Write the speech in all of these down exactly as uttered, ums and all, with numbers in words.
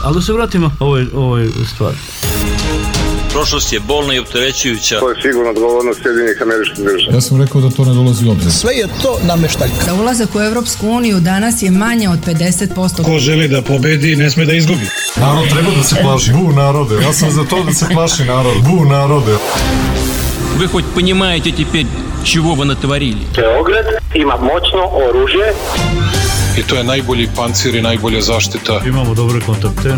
Ali da se vratimo ovoj, ovoj stvari. Prošlost je bolna i opterećujuća. To je sigurno odgovornost Sjedinjenih Američkih Država. Ja sam rekao da to ne dolazi u obzir. Sve je to nameštaljka. Da ulazak u Evropsku uniju danas je manje od pedeset posto. Ko želi da pobedi, ne sme da izgubi. Narod treba da se plaši. Bu narode. Ja sam za to da se plaši narod. Bu narode. Вы хоть понимаете теперь, чего вы натворили? Beograd ima moćno oružje. I to je najbolji pancir i najbolja zaštita. Imamo dobre kontakte.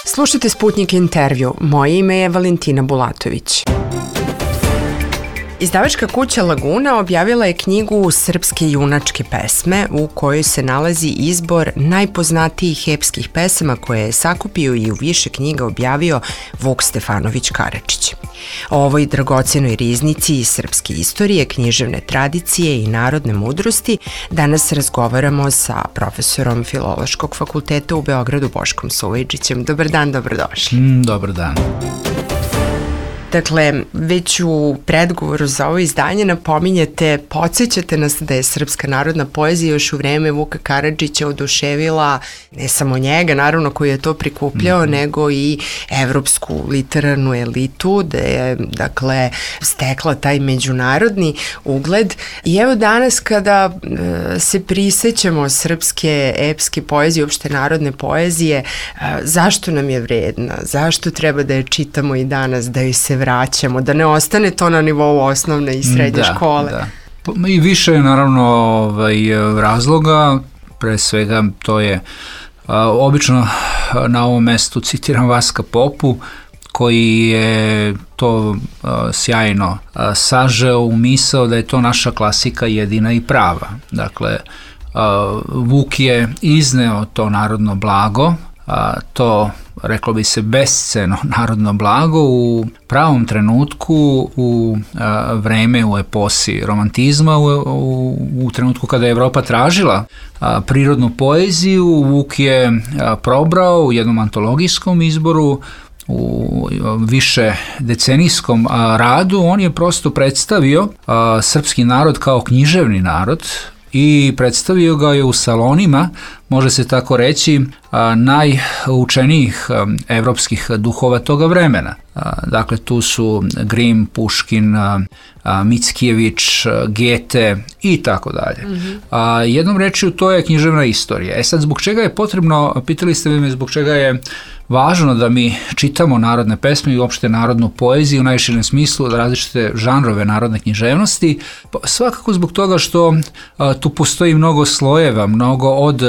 Slušajte Sputnik intervju. Moje ime je Valentina Bulatović. Izdavačka kuća Laguna objavila je knjigu Srpske junačke pesme u kojoj se nalazi izbor najpoznatijih epskih pesama koje je sakupio i u više knjiga objavio Vuk Stefanović Karadžić. O ovoj dragocenoj riznici iz srpske istorije, književne tradicije i narodne mudrosti danas razgovaramo sa profesorom Filološkog fakulteta u Beogradu Boškom Suvajčićem. Dobar dan, dobrodošli. Mm, dobar dan. Dakle, već u predgovoru za ovo izdanje napominjete, podsjećate nas da je srpska narodna poezija još u vreme Vuka Karadžića oduševila ne samo njega, naravno koji je to prikupljao, mm-hmm. nego i evropsku literarnu elitu, da je, dakle, stekla taj međunarodni ugled. I evo danas kada e, se prisećamo srpske epske poezije, uopšte narodne poezije, e, zašto nam je vredna? Zašto treba da je čitamo i danas, da joj se vraćamo, da ne ostane to na nivou osnovne i srednje da, škole. Da. I više je naravno ovaj, razloga, pre svega to je a, obično na ovom mestu citiram Vaska Popu, koji je to a, sjajno a, sažeo u misao da je to naša klasika jedina i prava. Dakle, a, Vuk je izneo to narodno blago, a, to reklo bi se besceno narodno blago u pravom trenutku, u a, vreme, u eposi romantizma, u, u, u trenutku kada je Evropa tražila a, prirodnu poeziju. Vuk je a, probrao u jednom antologijskom izboru, u više decenijskom a, radu, on je prosto predstavio a, srpski narod kao književni narod i predstavio ga je u salonima, može se tako reći, najučenijih evropskih duhova toga vremena. Dakle, tu su Grim, Puškin, Mickijević, Gete i tako dalje. Jednom rečju, to je književna istorija. E sad, zbog čega je potrebno, pitali ste me zbog čega je važno da mi čitamo narodne pesme i uopšte narodnu poeziju u najširem smislu, različite žanrove narodne književnosti, svakako zbog toga što a, tu postoji mnogo slojeva, mnogo od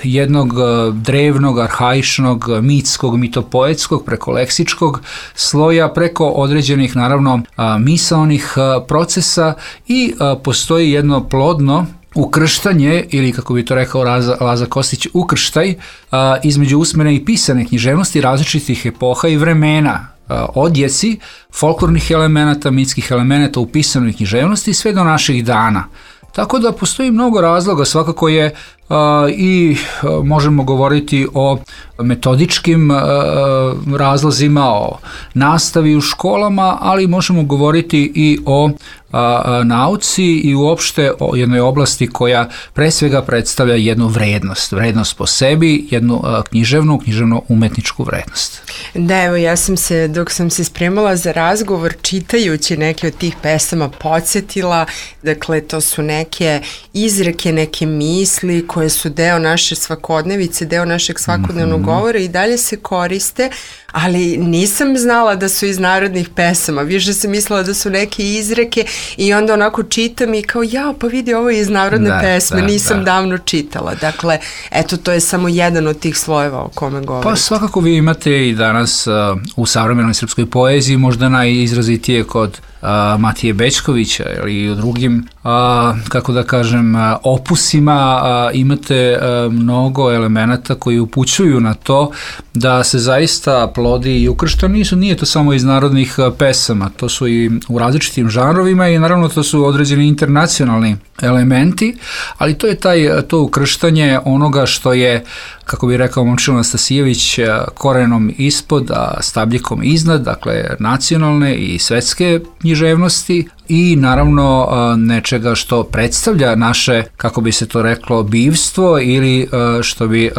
jednog drevnog, arhaičnog, mitskog, mitopoetskog, preko leksičkog sloja, preko određenih, naravno, a, misaonih a, procesa i a, postoji jedno plodno ukrštanje, ili kako bi to rekao Laza, Laza Kostić, ukrštaj a, između usmene i pisane književnosti različitih epoha i vremena, a, odjeci folklornih elemenata, mitskih elemenata u pisanoj književnosti sve do naših dana. Tako da postoji mnogo razloga, svakako je a, i a, možemo govoriti o metodičkim a, razlozima, o nastavi u školama, ali možemo govoriti i o a, a, nauci i uopšte o jednoj oblasti koja pre svega predstavlja jednu vrednost, vrednost po sebi, jednu a, književnu, književno-umetničku vrednost. Da, evo, ja sam se, dok sam se spremala za razgovor, čitajući neke od tih pesama, podsjetila, dakle, to su neke izreke, neke misli koje su deo naše svakodnevice, deo našeg svakodnevnog mm-hmm. govora i dalje se koriste, ali nisam znala da su iz narodnih pesama, više sam mislila da su neke izreke i onda onako čitam i kao, ja, pa vidi, ovo je iz narodne da, pesme, da, nisam da. davno čitala. Dakle, eto, to je samo jedan od tih slojeva o kome govorite. Pa svakako vi imate i danas uh, u savremenoj srpskoj poeziji, možda najizrazitije kod uh, Matije Bećkovića ili u drugim, uh, kako da kažem, uh, opusima uh, imate uh, mnogo elemenata koji upućuju na to da se zaista plodi i ukršta, nisu, nije to samo iz narodnih uh, pesama, to su i u različitim žanrovima i naravno to su određeni internacionalni elementi, ali to je taj, to ukrštanje onoga što je, kako bi rekao Momčilo Nastasijević, korenom ispod, a stabljikom iznad, dakle nacionalne i svetske književnosti i naravno nečega što predstavlja naše, kako bi se to reklo, bivstvo ili što bi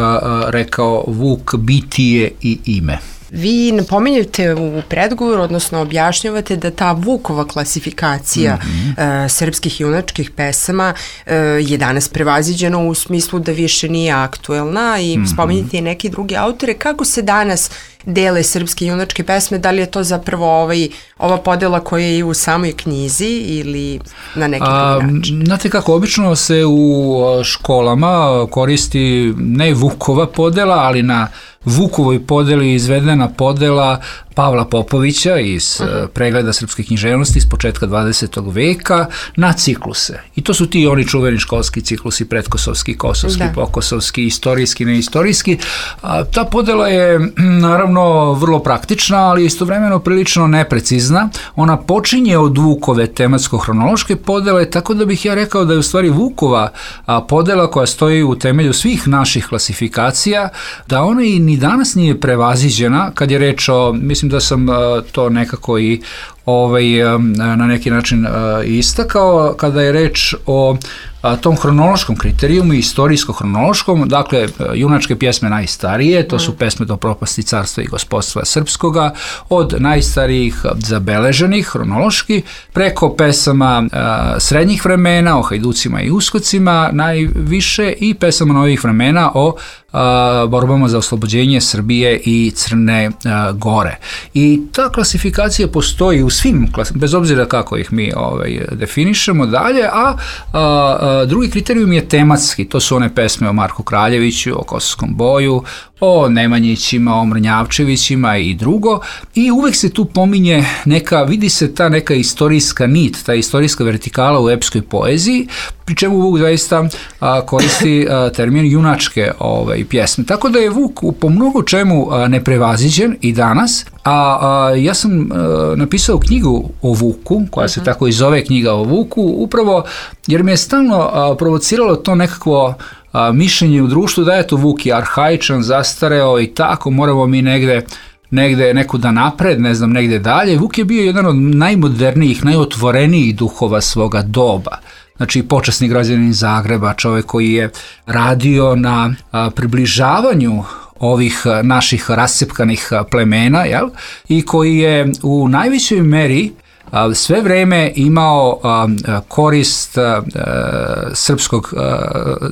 rekao Vuk, bitije i ime. Vi napominjate u predgovoru, odnosno objašnjavate da ta Vukova klasifikacija mm-hmm. uh, srpskih junačkih pesama uh, je danas prevaziđena u smislu da više nije aktuelna i mm-hmm. spominjate i neki drugi autore. Kako se danas dele srpske junačke pesme? Da li je to zapravo ovaj, ova podela koja je i u samoj knjizi ili na neki drugi način? Znate kako, obično se u školama koristi ne Vukova podela, ali na Vukovoj podeli izvedena podela Pavla Popovića iz uh-huh. pregleda srpske književnosti iz početka dvadesetog veka na cikluse. I to su ti oni čuveni školski ciklusi, pretkosovski, kosovski, da. pokosovski, istorijski, neistorijski. A, ta podela je naravno vrlo praktična, ali istovremeno prilično neprecizna. Ona počinje od Vukove tematsko-hronološke podele, tako da bih ja rekao da je u stvari Vukova a, podela koja stoji u temelju svih naših klasifikacija, da ona i ni danas nije prevaziđena kad je reč o, mislim da sam uh, to nekako i ovaj, um, na neki način uh, istakao, kada je reč o a, tom hronološkom kriterijumu, istorijsko-hronološkom, dakle, junačke pjesme najstarije, to su pesme do propasti carstva i gospodstva srpskoga, od najstarijih zabeleženih hronološki, preko pesama a, srednjih vremena, o hajducima i uskocima najviše i pesama novih vremena o a, borbama za oslobođenje Srbije i Crne a, Gore. I ta klasifikacija postoji u svim, bez obzira kako ih mi ovaj, definišemo dalje, a, a drugi kriterijum je tematski, to su one pesme o Marku Kraljeviću, o Kosovskom boju, o Nemanjićima, o Mrnjavčevićima i drugo, i uvek se tu pominje neka, vidi se ta neka istorijska nit, ta istorijska vertikala u epskoj poeziji, pri čemu Vuk zaista a, koristi a, termin junačke ovaj, pjesme. Tako da je Vuk po mnogo čemu a, neprevaziđen i danas, a, a ja sam a, napisao knjigu o Vuku, koja se uh-huh. tako i zove knjiga o Vuku, upravo jer me je stalno a, provociralo to nekakvo a, mišljenje u društvu da je to Vuk je arhaičan, zastareo i tako, moramo mi negde negde nekuda napred, ne znam, negde dalje. Vuk je bio jedan od najmodernijih, najotvorenijih duhova svoga doba. Znači, počasni građanin Zagreba, čovjek koji je radio na a, približavanju ovih naših rascepkanih plemena, jel? I koji je u najvećoj meri a, sve vreme imao a, korist a, srpskog a,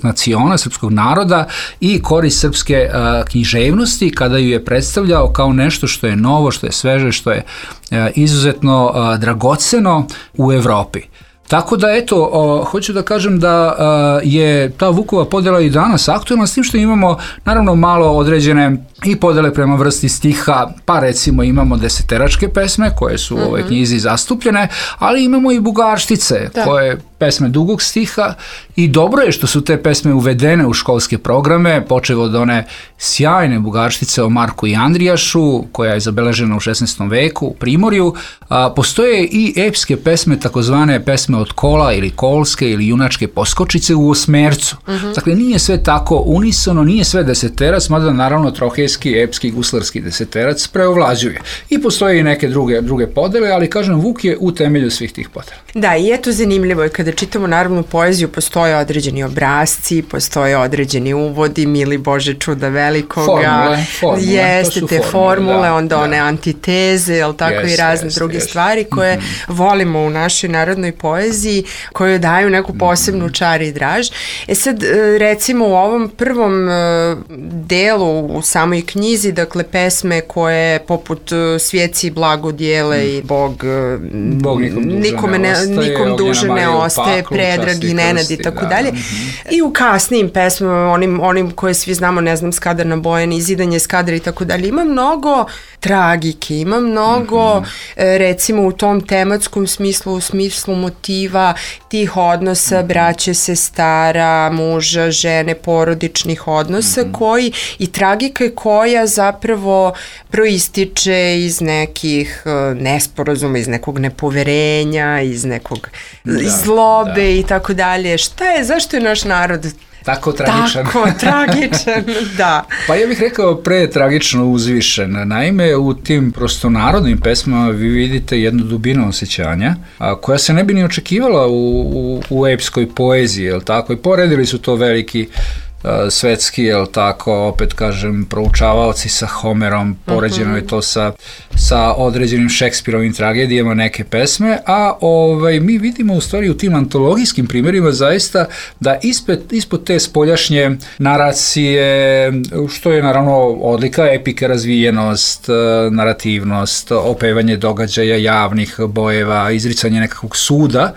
naciona, srpskog naroda i korist srpske a, književnosti kada ju je predstavljao kao nešto što je novo, što je sveže, što je a, izuzetno a, dragoceno u Evropi. Tako da, eto, o, hoću da kažem da a, je ta Vukova podela i danas aktualna, s tim što imamo naravno malo određene i podele prema vrsti stiha, pa recimo imamo deseteračke pesme koje su u ovoj knjizi zastupljene, ali imamo i bugarštice, da. koje pesme dugog stiha, i dobro je što su te pesme uvedene u školske programe, počev od one sjajne bugarštice o Marku i Andrijašu, koja je zabeležena u šesnaestom veku u Primorju. A, postoje i epske pesme, takozvane pesme od kola ili kolske ili junačke poskočice u osmercu. Uh-huh. Dakle, nije sve tako unisono, nije sve deseterac, mada naravno trohejski, epski, guslarski deseterac preovlađuje. I postoje i neke druge, druge podele, ali kažem, Vuk je u temelju svih tih podela. Da, i eto zanimljivo je kada čitamo naravno poeziju, postoje određeni obrasci, postoje određeni uvodi, mili Bože čuda velikoga, formule, formule, jeste te formule, formule da, onda da. one antiteze, jel tako, yes, i razne yes, druge yes. stvari koje mm-hmm. volimo u našoj narodnoj poeziji, koje daju neku posebnu mm-hmm. čar i draž. E sad, recimo u ovom prvom delu u samoj knjizi, dakle pesme koje poput Svijeci blagodjele mm. i Bog, Bog nikom duže nikome ne, ostaje, nikom duže ne ostaje, Predrag i Nenad i tako dalje. I u kasnijim pesmama, onim, onim koje svi znamo, ne znam, Skadar na Bojani, Zidanje Skadra i tako dalje, ima mnogo tragike, ima mnogo, mm-hmm. recimo u tom tematskom smislu, u smislu motiva tih odnosa, mm-hmm. braće, sestara, muža, žene, porodičnih odnosa, mm-hmm. koji i tragike koja zapravo proističe iz nekih nesporazuma, iz nekog nepoverenja, iz nekog da. sukobe Da. i tako dalje. Šta je, zašto je naš narod Tako tragičan. tako tragičan? Da. Pa ja bih rekao pre tragično uzvišen. Naime, u tim prosto narodnim pesmama vi vidite jednu dubinu osjećanja a, koja se ne bi ni očekivala u, u, u epskoj poeziji, jel tako? I poredili su to veliki a, svetski, jel tako, opet kažem, proučavaoci sa Homerom, poređeno je to sa, sa određenim Šekspirovim tragedijama neke pesme, a ovaj, mi vidimo u stvari u tim antologijskim primjerima zaista da ispod, ispod te spoljašnje naracije, što je naravno odlika epike, razvijenost, narativnost, opevanje događaja javnih bojeva, izricanje nekakvog suda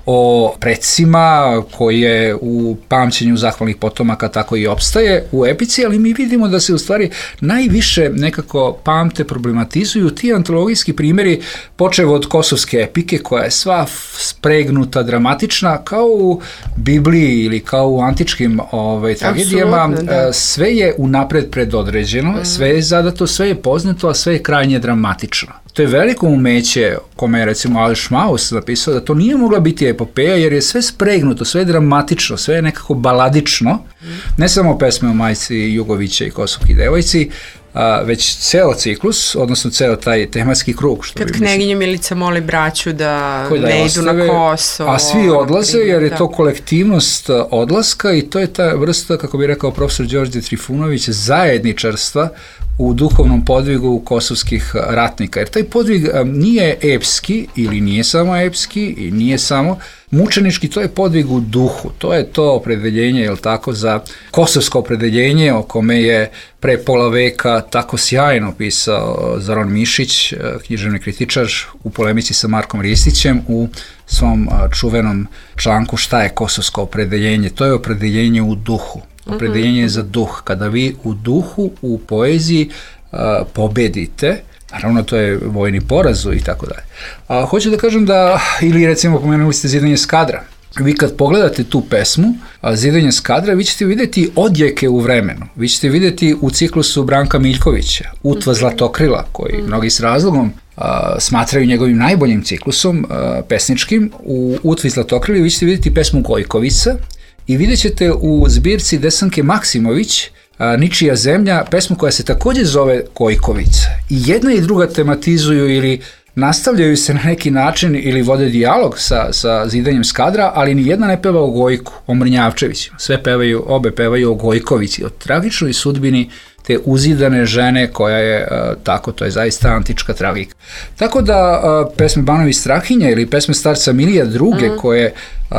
o precima koje u pamćenju zahvalnih potomaka tako i opstaje u epici, ali mi vidimo da se u stvari najviše nekako pamte, problematizuju ti antologijski primjeri, počev od kosovske epike koja je sva spregnuta, dramatična, kao u Bibliji ili kao u antičkim ovaj, tragedijama, da. Sve je unapred predodređeno, mm. sve je zadato, sve je poznato, a sve je krajnje dramatično. To je veliko umeće, kome je recimo Aleš Maus napisao da to nije mogla biti epopeja jer je sve spregnuto, sve je dramatično, sve je nekako baladično, ne samo pesme o majci Jugovića i Kosovki devojci, a, već ceo ciklus, odnosno ceo taj tematski krug. Što Kad bi knjeginja Milica moli braću da, da ne ostave, idu na Kosovo. A svi odlaze primjer, jer je da. to kolektivnost odlaska i to je ta vrsta, kako bi rekao profesor Đorđe Trifunović, zajedničarstva u duhovnom podvigu kosovskih ratnika. Jer taj podvig nije epski ili nije samo epski i nije samo mučenički, to je podvig u duhu. To je to opredeljenje, jel tako, za kosovsko opredeljenje o kome je pre pola veka tako sjajno pisao Zoran Mišić, književni kritičar, u polemici sa Markom Ristićem u svom čuvenom članku Šta je kosovsko opredeljenje? To je opredeljenje u duhu. Opredeljenje je za duh. Kada vi u duhu, u poeziji uh, pobedite, naravno to je vojni poraz i tako dalje. A hoću da kažem da, ili recimo pomenuli ste Zidanje skadra. Vi kad pogledate tu pesmu, Zidanje skadra, vi ćete vidjeti odjeke u vremenu. Vi ćete vidjeti u ciklusu Branka Miljkovića, Utva Zlatokrila, koji mnogi s razlogom Uh, smatraju njegovim najboljim ciklusom uh, pesničkim. U Utvi Zlatokrili vi ćete vidjeti pesmu Gojkovica i vidjet ćete u zbirci Desanke Maksimović uh, Ničija zemlja, pesmu koja se također zove Gojkovica. I jedna i druga tematizuju ili nastavljaju se na neki način ili vode dijalog sa, sa Zidanjem skadra, ali ni jedna ne peva o Gojku, o Mrnjavčevićima. Sve pevaju, obe pevaju o Gojkovici, o tragičnoj sudbini te uzidane žene koja je uh, tako, to je zaista antička tragika. Tako da uh, pesme Banovi Strahinja ili pesme starca Milija druge mm. koje uh,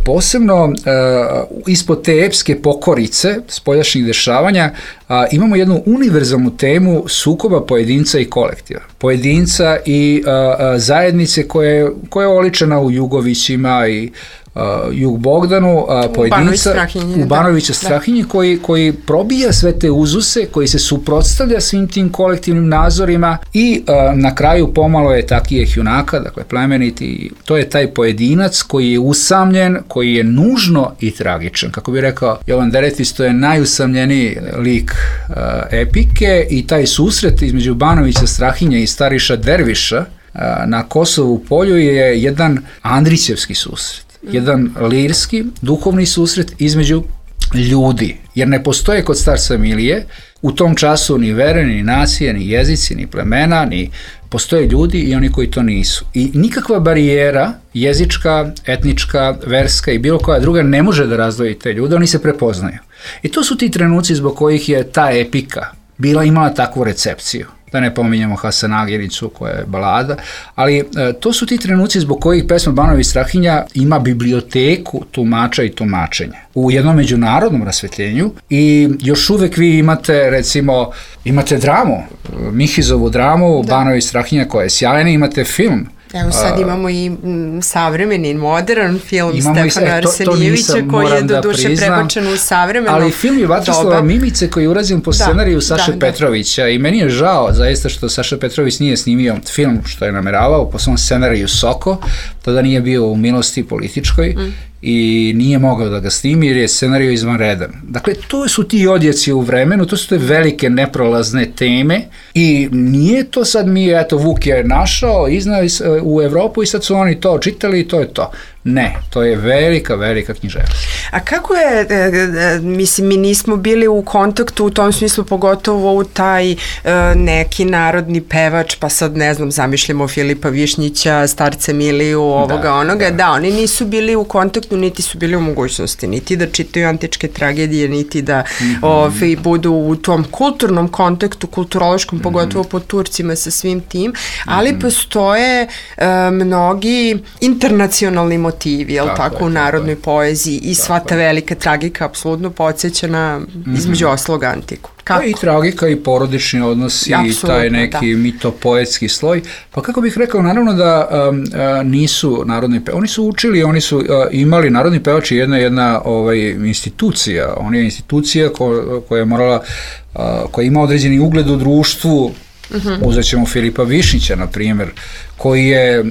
posebno uh, ispod te epske pokorice spoljašnjih dešavanja uh, imamo jednu univerzalnu temu sukoba pojedinca i kolektiva. Pojedinca i uh, uh, zajednice koje, koja je oličena u Jugovićima i Uh, Jug Bogdanu, uh, pojedinca u Banovića Strahinje koji, koji probija sve te uzuse, koji se suprotstavlja svim tim kolektivnim nazorima i uh, na kraju pomalo je takijeh junaka, dakle plemeniti, to je taj pojedinac koji je usamljen, koji je nužno i tragičan. Kako bi rekao Jovan Deretis, to je najusamljeniji lik uh, epike i taj susret između Banovića Strahinja i Stariša Derviša uh, na Kosovu polju je jedan Andrićevski susret. Jedan lirski, duhovni susret između ljudi, jer ne postoje kod starca Milije u tom času ni vere, ni nacije, ni jezici, ni plemena, ni postoje ljudi i oni koji to nisu. I nikakva barijera, jezička, etnička, verska i bilo koja druga ne može da razdvoji te ljude, oni se prepoznaju. I to su ti trenuci zbog kojih je ta epika bila imala takvu recepciju. Da ne pominjamo Hasanagiricu koja je balada, ali e, to su ti trenuci zbog kojih pesma Banovi Strahinja ima biblioteku tumača i tumačenja u jednom međunarodnom rasvetljenju i još uvek vi imate recimo, imate dramu, Mihizovu dramu, da. Banovi Strahinja koja je sjajna, imate film. Evo sad imamo i m, savremeni, modern film Stefana Stefana Arsenijevića koji je do duše prebačen u savremeno. Ali film je Vatroslava Mimice koji je urađen po scenariju Saše da, Petrovića da. I meni je žao zaista što Saša Petrović nije snimio film što je nameravao po svom scenariju Soko, tada nije bio u milosti političkoj mm. i nije mogao da ga snimi jer je scenariju izvanredan. Dakle, to su ti odjeci u vremenu, to su te velike neprolazne teme i nije to sad mi, eto, Vuk je našao, iznao u Evropu i sad su oni to čitali i to je to. Ne, to je velika, velika književnost. A kako je, e, e, mislim, mi nismo bili u kontaktu u tom smislu, pogotovo u taj e, neki narodni pevač, pa sad ne znam, zamišljamo Filipa Višnjića, Starca Miliju, ovoga, da, onoga, da. da, oni nisu bili u kontaktu, niti su bili u mogućnosti, niti da čitaju antičke tragedije, niti da mm-hmm. ove, budu u tom kulturnom kontaktu, kulturološkom, mm-hmm. pogotovo po Turcima sa svim tim, ali mm-hmm. postoje e, mnogi internacionalni motivi, jel tako, tako u narodnoj poeziji i sva ta velika tragika apsolutno podsjeća na mm-hmm. između osloga antiku. Kako? Pa i tragika i porodični odnosi i taj neki da. mitopoetski sloj. Pa kako bih rekao, naravno da um, uh, nisu narodni pevači, oni su učili, oni su uh, imali, narodni pevači jedna jedna ovaj, institucija, on je institucija ko, koja je morala, uh, koja ima određeni ugled u društvu. Uh-huh. Uzet ćemo Filipa Višnjića, na primjer, koji je e,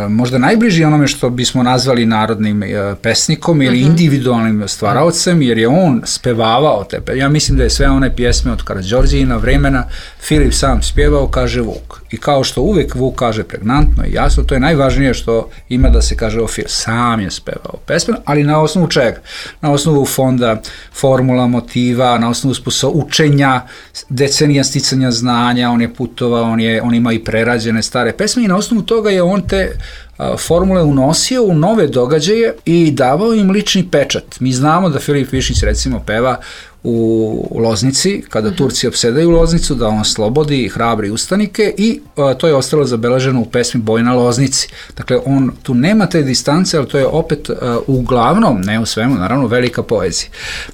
možda najbliži onome što bismo nazvali narodnim e, pesnikom ili uh-huh. individualnim stvaraocem, jer je on spevavao te pe. Ja mislim da je sve one pjesme od Karađorđijina vremena Filip sam spjevao, kaže Vuk. I kao što uvek Vuk kaže pregnantno i jasno, to je najvažnije što ima da se kaže o Filip. Sam je spevao pesme, ali na osnovu čega? Na osnovu fonda, formula, motiva, na osnovu sposo učenja, decenija sticanja znanja, on je putovao, on, je, on ima i prerađene stare pesme i na osnovu toga je on te a, formule unosio u nove događaje i davao im lični pečat. Mi znamo da Filip Višnjić recimo peva u Loznici, kada uh-huh. Turci opsedaju Loznicu, da on slobodi hrabri ustanike i a, to je ostalo zabeleženo u pesmi Boj na Loznici. Dakle, on tu nema te distance, ali to je opet a, uglavnom, ne u svemu, naravno velika poezija.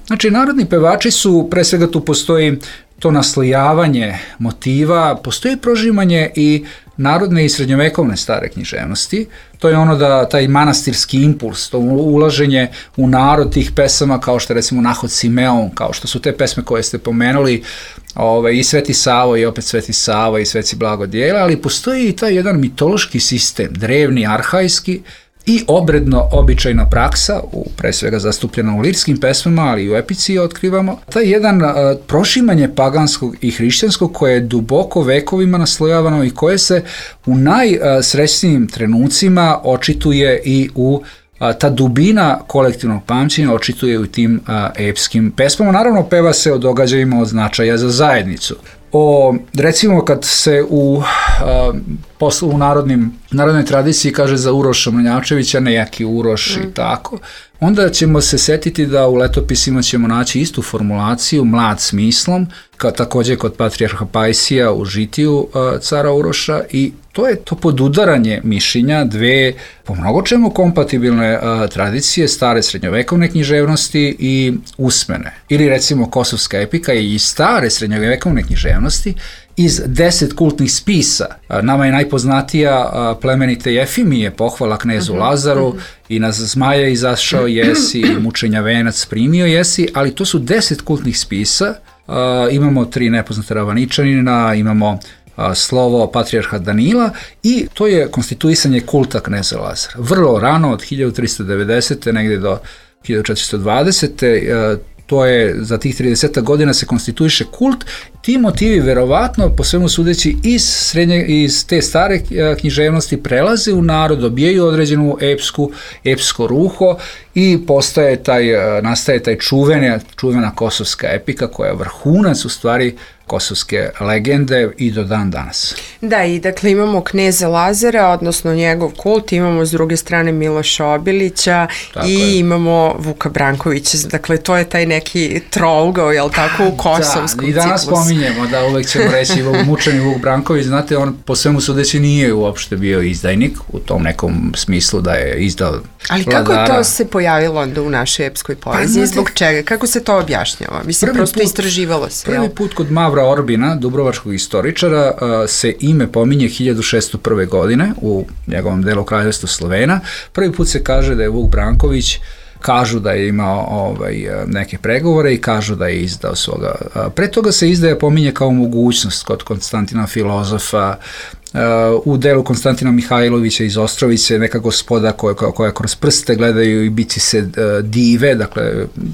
Znači, narodni pevači su, pre svega tu postoji to naslojavanje motiva, postoji prožimanje i narodne i srednjovekovne stare književnosti. To je ono da taj manastirski impuls, to ulaženje u narod tih pesama kao što je recimo Nahod Simeon, kao što su te pesme koje ste pomenuli, ovaj, i Sveti Savo i opet Sveti Sava i Sveci Blagodjela, ali postoji i taj jedan mitološki sistem, drevni, arhajski, i obredno običajna praksa, u, pre svega zastupljena u lirskim pesmama, ali i u epici otkrivamo, taj jedan a, prošimanje paganskog i hrišćanskog koje je duboko vekovima naslojavano i koje se u najsrećnijim trenucima očituje i u a, ta dubina kolektivnog pamćenja očituje u tim a, epskim pesmama. Naravno, peva se o događajima od značaja za zajednicu. O, recimo kad se u, a, poslu, u narodnim, narodnoj tradiciji kaže za Uroša Mrnjavčevića nejaki Uroš mm. i tako, onda ćemo se setiti da u letopisima ćemo naći istu formulaciju mlad smislom, kao također kod patrijarha Pajsija u žitiju a, cara Uroša i to je to podudaranje mišljenja dve po mnogo čemu kompatibilne a, tradicije stare srednjovekovne književnosti i usmene. Ili recimo Kosovska epika i stare srednjovekovne književnosti iz deset kultnih spisa. Nama je najpoznatija plemenite Jefimije, pohvala knezu Lazaru, i na zmaja izašao jesi, i mučenja venac primio jesi, ali to su deset kultnih spisa. Imamo tri nepoznate Ravaničanina, imamo slovo patrijarha Danila i to je konstituisanje kulta kneza Lazara. Vrlo rano, od hiljadu tristo devedesete negdje do hiljadu četiristo dvadesete to je za tih trideset godina se konstituiše kult. Ti motivi verovatno, po svemu sudeći, iz, srednje, iz te stare književnosti prelaze u narod, dobijaju određenu epsku, epsko ruho i postaje taj, nastaje taj čuvena, čuvena kosovska epika koja je vrhunac u stvari kosovske legende i do dan danas. Da, i dakle imamo kneza Lazara, odnosno njegov kult, imamo s druge strane Miloša Obilića tako i je. Imamo Vuka Brankovića, dakle to je taj neki trougao, jel tako, u kosovskom ciklusu. Da, i danas ciklus. Spominjemo da uvek ćemo reći mučeni Vuk Branković, znate, on po svemu sudeći nije uopšte bio izdajnik u tom nekom smislu da je izdao ali vladara. Kako to se pojavilo onda u našoj epskoj poeziji, pa, zbog čega, kako se to objašnjava? Mislim, prosto put, istraživalo se. Prvi jel? put kod Mavra Orbina, dubrovačkog istoričara, se ime pominje hiljadu šeststo prve. godine u njegovom delu Kraljevstva Slovena. Prvi put se kaže da je Vuk Branković, kažu da je imao ovaj, neke pregovore i kažu da je izdao svoga. Pre toga se izdaja pominje kao mogućnost kod Konstantina Filozofa, u delu Konstantina Mihajlovića iz Ostrovice, neka gospoda koja, koja kroz prste gledaju i bici se dive, dakle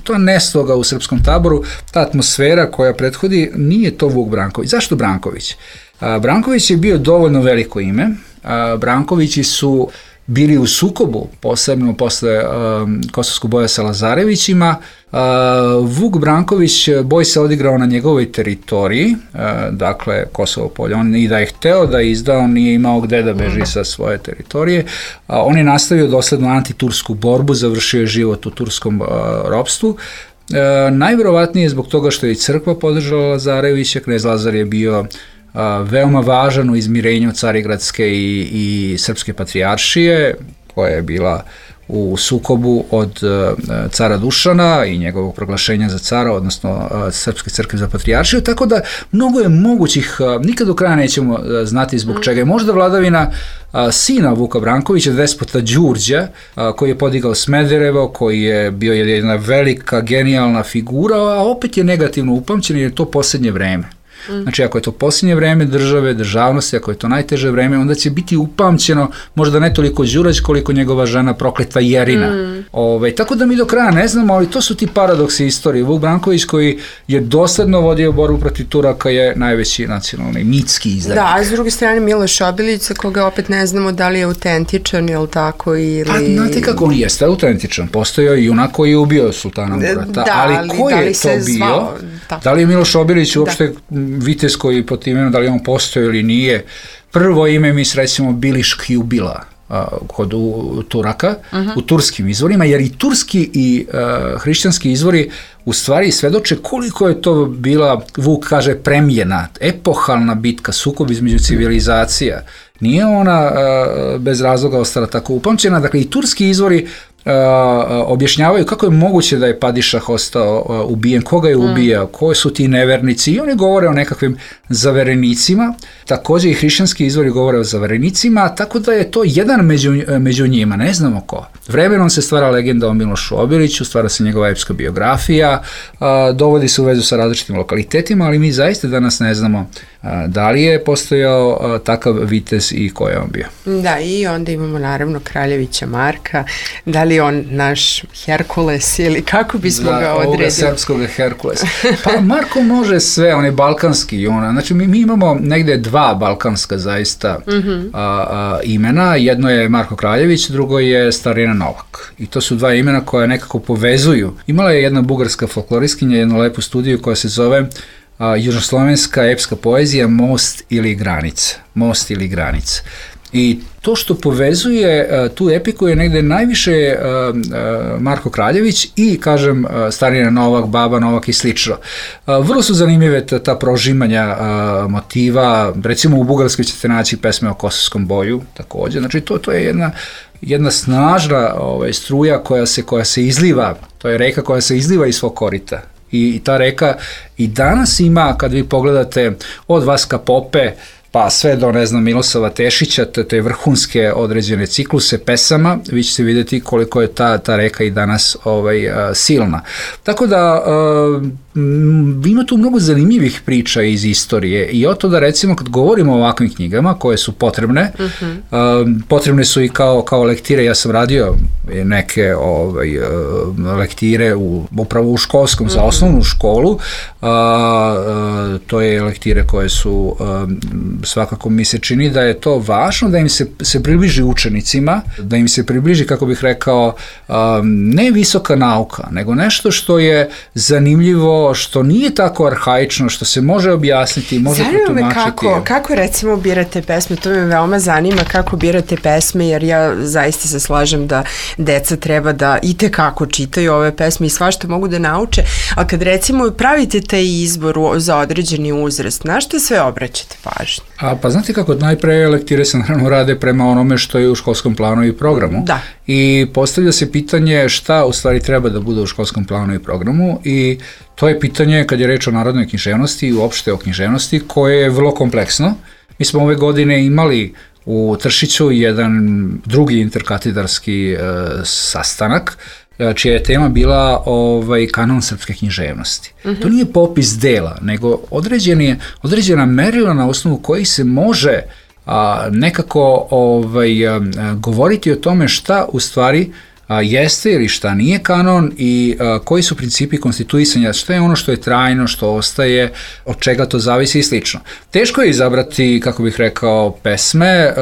to je nesloga u srpskom taboru, ta atmosfera koja prethodi, nije to Vuk Branković. Zašto Branković? Branković je bio dovoljno veliko ime, Brankovići su bili u sukobu, posebno posle um, Kosovskog boja sa Lazarevićima. Uh, Vuk Branković boj se odigrao na njegovoj teritoriji, uh, dakle Kosovo polje. On i da je hteo da izda, on nije imao gde da beži sa svoje teritorije. Uh, on je nastavio dosledno antitursku borbu, završio je život u turskom uh, ropstvu. E, najverovatnije zbog toga što je i crkva podržala Lazarevića. Knez Lazar je bio a, veoma važan u izmirenju Carigradske i, i Srpske patrijaršije, koja je bila u sukobu od a, cara Dušana i njegovog proglašenja za cara, odnosno a, Srpske crkve za patrijaršiju, tako da mnogo je mogućih, a, nikad do kraja nećemo a, znati zbog čega je možda vladavina a, sina Vuka Brankovića, despota Đurđa, a, koji je podigao Smederevo, koji je bio jedna velika, genijalna figura, a opet je negativno upamćen jer je to posljednje vreme. Znači, ako je to posljednje vreme države, državnosti, ako je to najteže vreme, onda će biti upamćeno možda ne toliko Đurać koliko njegova žena prokletva Jerina. Mm. Ove, tako da mi do kraja ne znamo, ali to su ti paradoksi istorije. Vuk Branković, koji je dosledno vodio borbu protiv Turaka, je najveći nacionalni mitski izdanik. Da, a s druge strane Miloš Obilić, za koga opet ne znamo da li je autentičan ili tako ili... Pa, znate kako, on jeste autentičan. Postojao i junak koji je ubio sultana Murata. Da, ali, ali ko da li je se to bio? zvao? Tako. Da li je Miloš Obilić uopšte vitez koji pod imenom, da li on postoji ili nije? Prvo ime mi srećemo Biliš Kjubila a, kod u, Turaka, uh-huh. u turskim izvorima, jer i turski i a, hrišćanski izvori u stvari svedoče koliko je to bila, Vuk kaže, premjena, epohalna bitka, sukob između civilizacija. Nije ona a, bez razloga ostala tako upamćena, dakle i turski izvori Uh, objašnjavaju kako je moguće da je Padišah ostao uh, ubijen, koga je ubijao, mm. koji su ti nevernici, i oni govore o nekakvim zaverenicima. Također i hrišćanski izvori govore o zaverenicima, tako da je to jedan među, među njima, ne znamo ko. Vremenom se stvara legenda o Milošu Obiliću, stvara se njegova epska biografija, uh, dovodi se u vezu sa različitim lokalitetima, ali mi zaista danas ne znamo uh, da li je postojao uh, takav vitez i ko je on bio. Da, i onda imamo naravno Kraljevića Marka, da li on naš Herkules ili kako bismo da, ga odredili? Ovoga srpskog Herkules. Pa Marko može sve, on je balkanski. Ona, znači mi, mi imamo negde dva balkanska zaista mm-hmm. a, a, imena. Jedno je Marko Kraljević, drugo je Starina Novak. I to su dva imena koja nekako povezuju. Imala je jedna bugarska folkloristkinja, jednu lepu studiju koja se zove a, Južnoslovenska epska poezija Most ili granica. Most ili granica. I to što povezuje uh, tu epiku je negde najviše uh, uh, Marko Kraljević i, kažem, uh, Starina Novak, Baba Novak i slično. Uh, vrlo su zanimljive ta, ta prožimanja uh, motiva, recimo u Bugarskoj ćete naći pesme o Kosovskom boju, također. Znači to, to je jedna, jedna snažna ovaj, struja koja se, koja se izliva, to je reka koja se izliva iz svog korita. I, i ta reka i danas ima, kad vi pogledate od Vaska Pope, pa sve do, ne znam, Milosava Tešića, te vrhunske određene cikluse pesama, vi ćete vidjeti koliko je ta, ta reka i danas ovaj, a, silna. Tako da a, m, ima tu mnogo zanimljivih priča iz istorije i o to da, recimo, kad govorimo o ovakvim knjigama koje su potrebne, uh-huh. a, potrebne su i kao, kao lektire. Ja sam radio neke ovaj, lektire u, upravo u školskom, uh-huh. za osnovnu školu, a, a, to je lektire koje su a, svakako mi se čini da je to važno, da im se, se približi učenicima, da im se približi, kako bih rekao, um, ne visoka nauka, nego nešto što je zanimljivo, što nije tako arhaično, što se može objasniti, može protumačiti. Kako, kako recimo birate pesme, to me veoma zanima kako birate pesme, jer ja zaista se slažem da deca treba da itekako čitaju ove pesme i svašta mogu da nauče, a kad recimo pravite taj izbor za određeni uzrast, na što sve obraćate pažnju? A pa znate kako, najpre lektire se naravno rade prema onome što je u školskom planu i programu. Da. I postavlja se pitanje šta u stvari treba da bude u školskom planu i programu, i to je pitanje kad je reč o narodnoj književnosti i uopšte o književnosti, koje je vrlo kompleksno. Mi smo ove godine imali u Tršiću jedan drugi interkatedarski e, sastanak, čija je tema bila ovaj, kanon srpske književnosti. Uh-huh. To nije popis dela, nego određeni, određena merila na osnovu kojih se može a, nekako ovaj, a, govoriti o tome šta u stvari a, jeste ili šta nije kanon i a, koji su principi konstituisanja, što je ono što je trajno, što ostaje, od čega to zavisi i slično. Teško je izabrati, kako bih rekao, pesme a,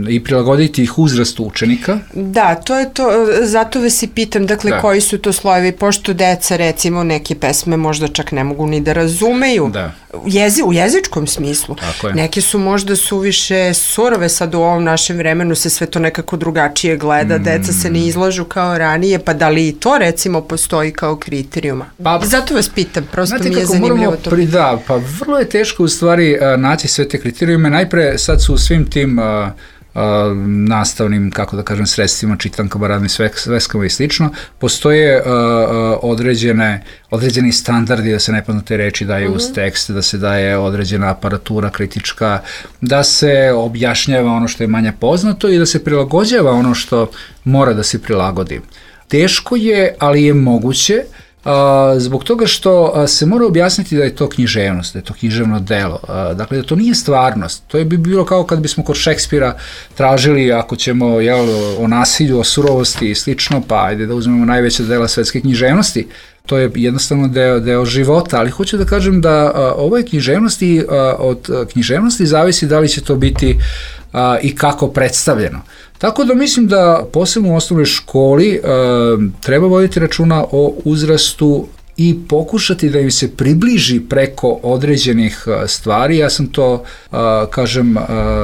i prilagoditi ih uzrastu učenika. Da, to je to, zato vas i pitam, dakle, da. Koji su to slojevi, pošto deca, recimo, neke pesme možda čak ne mogu ni da razumeju, da. Jezi, u jezičkom smislu. Neke su možda suviše surove, sad u ovom našem vremenu se sve to nekako drugačije gleda, mm. deca se ne izlažu kao ranije, pa da li i to recimo postoji kao kriterijuma? Pa, zato vas pitam, prosto mi je zanimljivo to. Pri, da, pa vrlo je teško u stvari uh, naći sve te kriterijume, najpre sad su u svim tim uh, Uh, nastavnim, kako da kažem, sredstvima, čitankama, radnim sveskama i slično, postoje uh, uh, određene, određeni standardi da se nepoznate reči daju uh-huh. uz tekst, da se daje određena aparatura kritička, da se objašnjava ono što je manje poznato i da se prilagođava ono što mora da se prilagodi. Teško je, ali je moguće, Uh, zbog toga što uh, se mora objasniti da je to književnost, da je to književno delo, uh, dakle da to nije stvarnost. To je bi bilo kao kad bismo kod Šekspira tražili, ako ćemo jel, o nasilju, o surovosti i slično, pa ajde da uzmemo najveće dela svetske književnosti. To je jednostavno deo, deo života, ali hoću da kažem da uh, ovoj književnosti, uh, od uh, književnosti zavisi da li će to biti uh, i kako predstavljeno. Tako da mislim da posebno u osnovnoj školi uh, treba voditi računa o uzrastu i pokušati da im se približi preko određenih uh, stvari. Ja sam to, uh, kažem, uh,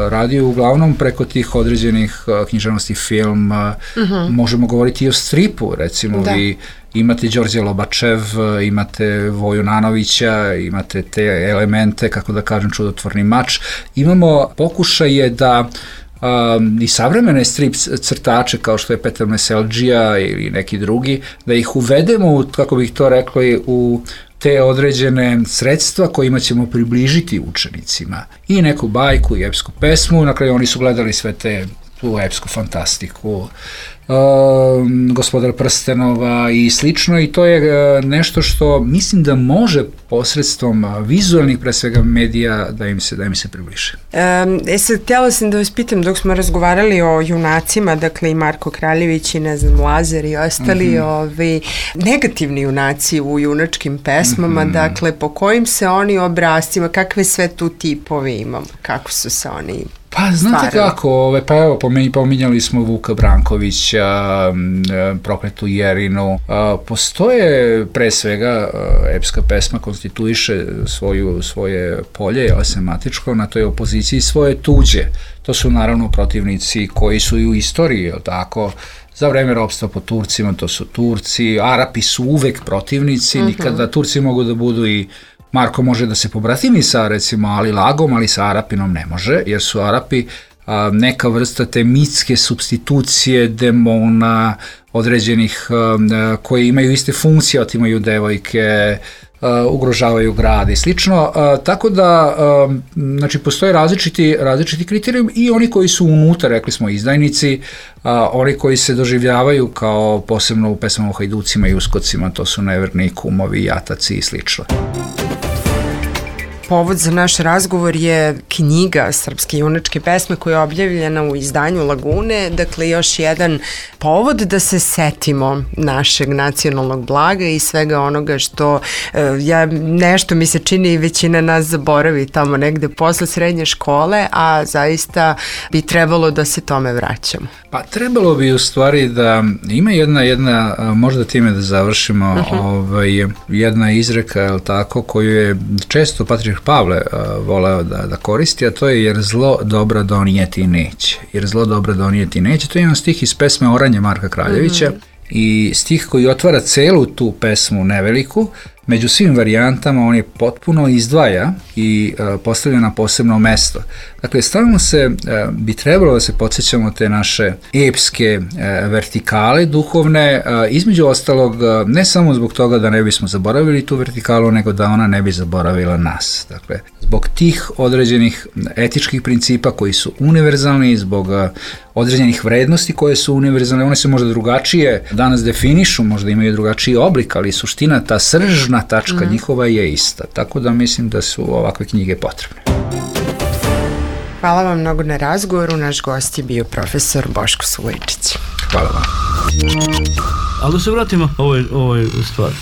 radio uglavnom preko tih određenih uh, književnosti, film, uh, uh-huh. možemo govoriti i o stripu, recimo, da. Vi imate Đorđe Lobačev, imate Voju Nanovića, imate te elemente, kako da kažem, Čudotvorni mač. Imamo pokušaje da Um, i savremene strip crtače kao što je Petar Meseldžija ili neki drugi, da ih uvedemo, u, kako bih to rekli, u te određene sredstva kojima ćemo približiti učenicima. I neku bajku i epsku pesmu, na kraju oni su gledali sve te tu epsku fantastiku, Um, Gospodar prstenova i slično, i to je uh, nešto što mislim da može posredstvom uh, vizualnih, pre svega, medija da im se, da im se približe. Um, e sad, htjela sam da vas pitam, dok smo razgovarali o junacima, dakle i Marko Kraljević i ne znam, Lazar i ostali, mm-hmm. ovi negativni junaci u junačkim pesmama, mm-hmm. dakle po kojim se oni obrascima, kakve sve tu tipovi imamo, kako su se oni... Pa znate stvarili. Kako, ove, pa evo pominjali smo Vuka Brankovića, Prokletu Jerinu, postoje pre svega epska pesma konstituiše svoju, svoje polje sematičko na toj opoziciji svoje tuđe. To su naravno protivnici koji su i u istoriji, jel tako, za vreme ropstva po Turcima, to su Turci, Arapi su uvek protivnici, uh-huh. nikada Turci mogu da budu i Marko može da se pobratimi sa, recimo, Ali Lagom, ali sa Arapinom ne može, jer su Arapi a, neka vrsta te mitske supstitucije demona određenih a, koji imaju iste funkcije, otimaju devojke, a, ugrožavaju grad i slično, a, tako da a, znači, postoje različiti, različiti kriterijum i oni koji su unutra, rekli smo, izdajnici, a, oni koji se doživljavaju kao posebno u pesmama o hajducima i uskocima, to su neverni kumovi, jataci i slično. Povod za naš razgovor je knjiga Srpske junačke pesme koja je objavljena u izdanju Lagune, dakle još jedan povod da se setimo našeg nacionalnog blaga i svega onoga što ja, nešto mi se čini i većina nas zaboravi tamo negde posle srednje škole, a zaista bi trebalo da se tome vraćamo. Pa trebalo bi u stvari da ima jedna, jedna možda time da završimo, uh-huh. ovaj, jedna izreka, je li tako, koju je često Patrijarh Pavle uh, voleo da, da koristi, a to je jer zlo dobra donijeti neće. Jer zlo dobra donijeti neće. To je jedan stih iz pesme Oranje Marka Kraljevića mm-hmm. i stih koji otvara celu tu pesmu neveliku. Među svim varijantama on je potpuno izdvaja i uh, postavlja na posebno mesto. Dakle, stalno se, uh, bi trebalo da se podsjećamo te naše epske uh, vertikale duhovne, uh, između ostalog, uh, ne samo zbog toga da ne bismo zaboravili tu vertikalu, nego da ona ne bi zaboravila nas. Dakle, zbog tih određenih etičkih principa koji su univerzalni, zbog uh, određenih vrednosti koje su univerzalne, one se možda drugačije danas definišu, možda imaju drugačiji oblik, ali suština, ta sržna tačka mm. njihova je ista. Tako da mislim da su ovakve knjige potrebne. Hvala vam mnogo na razgovoru. Naš gost je bio profesor Boško Sulejčić. Hvala vam. Ali da se vratimo ovoj, ovoj stvari.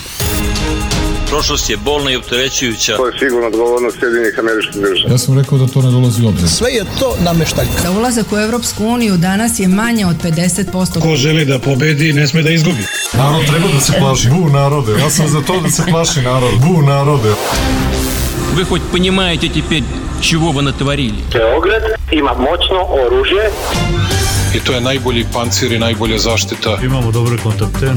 Prošlost je bolna i opterećujuća. To je sigurno odgovornost Sjedinjenih Američkih Država. Ja sam rekao da to ne dolazi u obzir. Sve je to nameštaljka. Za ulazak u Europsku uniju danas je manje od pedeset posto. Ko želi da pobedi, ne sme da izgubi. Narod treba da se plaši. Bu narode, ja sam za to da se plaši narod. Bu narode. Вы хоть понимаете теперь, чего вы натворили? Beograd ima moćno oružje. I to je najbolji pancir i najbolja zaštita. Imamo dobre kontakte.